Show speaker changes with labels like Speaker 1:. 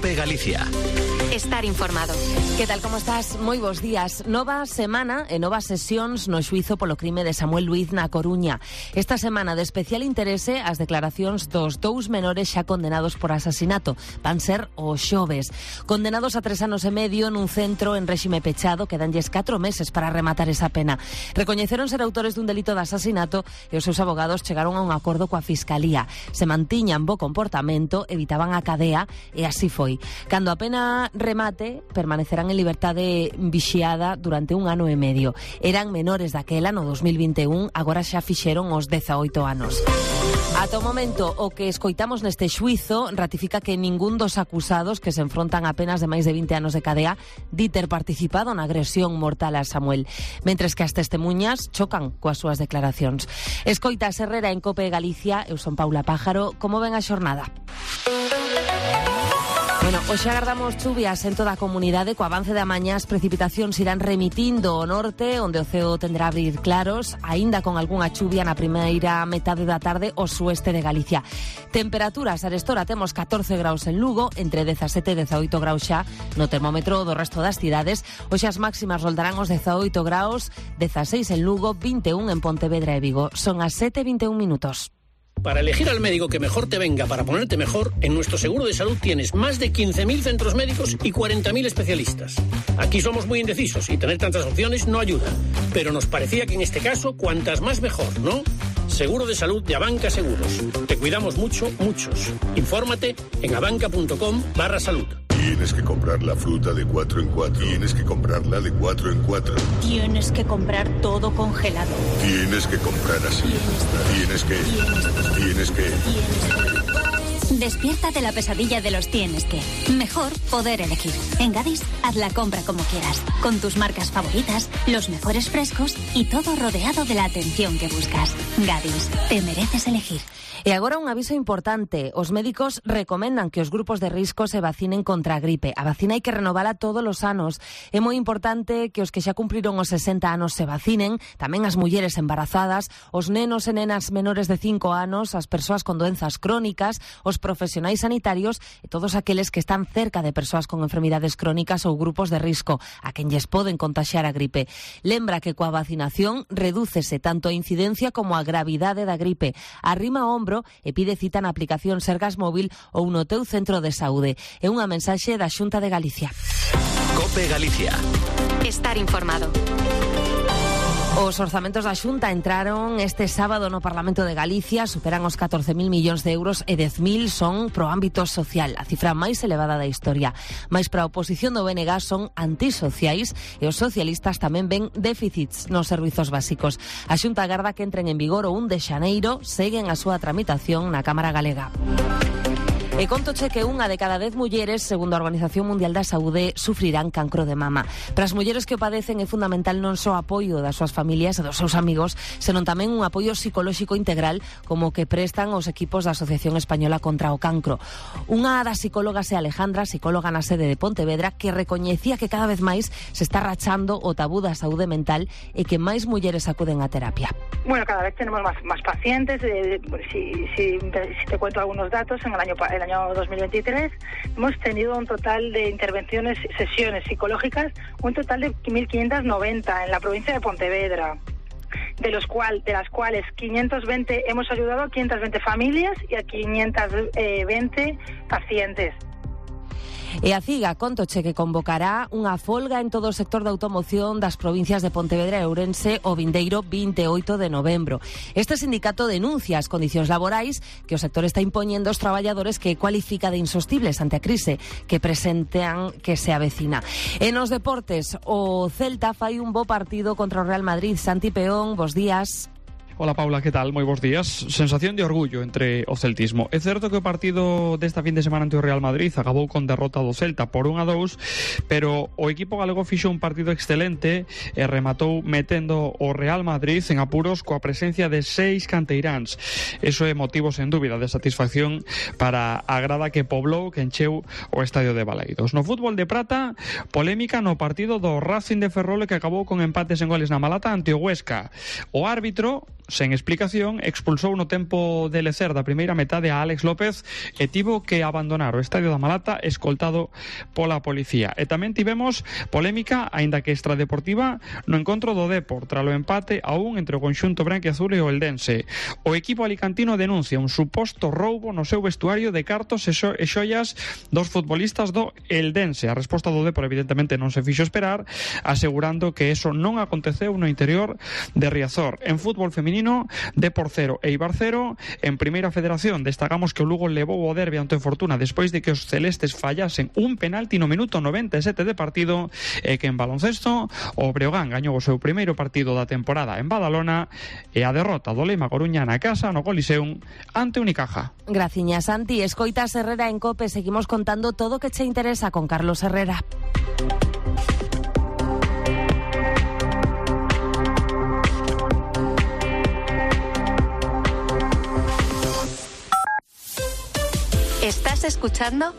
Speaker 1: COPE Galicia.
Speaker 2: Estar informado.
Speaker 3: Que tal, como estás? Moi bons días. Nova semana e novas sesións no xuízo polo crime de Samuel Luiz na Coruña. Esta semana de especial interese as declaracións dos dous menores xa condenados por asasinato. Van ser os xoves. Condenados a 3 anos e medio nun centro en réxime pechado, que danlles 4 meses para rematar esa pena. Recoñeceron ser autores dun delito de asasinato e os seus abogados chegaron a un acordo coa Fiscalía. Se mantiñan bo comportamento, evitaban a cadea e así foi. Cando a pena remate, permanecerán en liberdade vixiada durante 1 ano e medio. Eran menores daquela no 2021, agora xa fixeron os 18 anos. Ata o momento, o que escoitamos neste xuízo ratifica que ningún dos acusados, que se enfrontan a penas de máis de 20 anos de cadea, di ter participado na agresión mortal a Samuel, mentres que as testemuñas chocan coas súas declaracións. Escoita Herrera en COPE Galicia, eu son Paula Pájaro. Como ven a xornada? Bueno, hoxe agardamos chuvias en toda a comunidade. Co avance da mañá as precipitacións irán remitindo ao norte, onde o ceo tenderá a abrir claros, aínda con algunha chuvia na primeira metade da tarde ao sueste de Galicia. Temperaturas, arestora temos 14 graus en Lugo, entre 17 e 18 graus xa no termómetro do resto das cidades. Hoxe as máximas roldarán os 18 graus, 16 en Lugo, 21 en Pontevedra e Vigo. Son as 7:21 minutos.
Speaker 4: Para elegir al médico que mejor te venga para ponerte mejor, en nuestro seguro de salud tienes más de 15.000 centros médicos y 40.000 especialistas. Aquí somos muy indecisos y tener tantas opciones no ayuda. Pero nos parecía que en este caso, cuantas más mejor, ¿no? Seguro de salud de Abanca Seguros. Te cuidamos mucho, muchos. Infórmate en abanca.com/salud.
Speaker 5: Tienes que comprar la fruta de 4 en 4. Tienes que comprarla de 4 en 4.
Speaker 6: Tienes que comprar todo congelado.
Speaker 5: Tienes que comprar así. Tienes que.
Speaker 6: Despierta de la pesadilla de los tienes que. Mejor poder elegir. En Gadis, haz la compra como quieras. Con tus marcas favoritas, los mejores frescos y todo rodeado de la atención que buscas. Gadis, te mereces elegir.
Speaker 3: E agora un aviso importante. Os médicos recomendan que os grupos de risco se vacinen contra a gripe. A vacina hai que renovala todos os anos. É moi importante que os que xa cumpriron os 60 anos se vacinen, tamén as mulleres embarazadas, os nenos e nenas menores de 5 anos, as persoas con doenzas crónicas, os profesionais sanitarios e todos aqueles que están cerca de persoas con enfermidades crónicas ou grupos de risco, a quen lles poden contaxiar a gripe. Lembra que coa vacinación redúcese tanto a incidencia como a gravidade da gripe. Arrima o ombro e pide cita na aplicación Sergas Móvil ou no teu centro de saúde. É unha mensaxe da Xunta de Galicia.
Speaker 1: COPE Galicia.
Speaker 2: Estar informado.
Speaker 3: Os orzamentos da Xunta entraron este sábado no Parlamento de Galicia, superan os 14.000 millóns de euros e 10.000 son pro ámbito social, a cifra máis elevada da historia. Mais para a oposición do BNG son antisociais e os socialistas tamén ven déficits nos servizos básicos. A Xunta agarda que entren en vigor o 1 de xaneiro, seguen a súa tramitación na Cámara Galega. E contoche que 1 de cada 10 mulleres, segundo a Organización Mundial da Saúde, sufrirán cancro de mama. Para as mulleres que o padecen é fundamental non só o apoio das súas familias e dos seus amigos, senón tamén un apoio psicolóxico integral como o que prestan os equipos da Asociación Española contra o Cancro. Unha das psicólogas é Alejandra, psicóloga na sede de Pontevedra, que recoñecía que cada vez máis se está rachando o tabú da saúde mental e que máis mulleres acuden á terapia.
Speaker 7: Bueno, cada vez tenemos más pacientes. Si te cuento algunos datos, en el año 2023 hemos tenido un total de intervenciones, sesiones psicológicas, un total de 1.590 en la provincia de Pontevedra, de las cuales 520 hemos ayudado a 520 familias y a 520 pacientes.
Speaker 3: E a CIGA contoche que convocará unha folga en todo o sector da automoción das provincias de Pontevedra e Ourense o vindeiro 28 de novembro. Este sindicato denuncia as condicións laborais que o sector está impoñendo aos traballadores, que cualifica de insostibles ante a crise que presentan que se avecina. E nos deportes, o Celta fai un bo partido contra o Real Madrid. Santi Peón, bos días.
Speaker 8: Hola Paula, que tal? Moi bons días. Sensación de orgullo entre o celtismo. É certo que o partido desta fin de semana ante o Real Madrid acabou con derrota do Celta por 1-2, pero o equipo galego fixo un partido excelente e rematou metendo o Real Madrid en apuros coa presencia de 6 canteiráns. Eso é motivo sen dúbida de satisfacción para a grada que poblou, que encheu o estadio de Baleidos. No fútbol de prata, polémica no partido do Racing de Ferrol, que acabou con empates en goles na Malata ante o Huesca. O árbitro sen explicación, expulsou no tempo de lecer da primeira metade a Alex López e tivo que abandonar o estadio da Malata escoltado pola policía. E tamén tivemos polémica, aínda que extradeportiva, no encontro do Depor, tralo empate a 1 entre o conxunto branquiazul e o eldense. O equipo alicantino denuncia un suposto roubo no seu vestuario de cartos e xoias dos futbolistas do eldense. A resposta do Depor evidentemente non se fixo esperar, asegurando que eso non aconteceu no interior de Riazor. En fútbol feminino, Depor 0 e Eibar 0. En Primeira Federación destacamos que o Lugo levou o derbi ante o Fortuna despois de que os celestes fallasen un penalti no minuto 97 de partido, e que en baloncesto o Breogán gañou o seu primeiro partido da temporada en Badalona e a derrota do Lema Coruña na casa no Coliseum ante Unicaja.
Speaker 3: Graciña, Santi. Escoitas Herrera en COPE. Seguimos contando todo o que che interesa con Carlos Herrera.
Speaker 2: ¿Estás escuchando?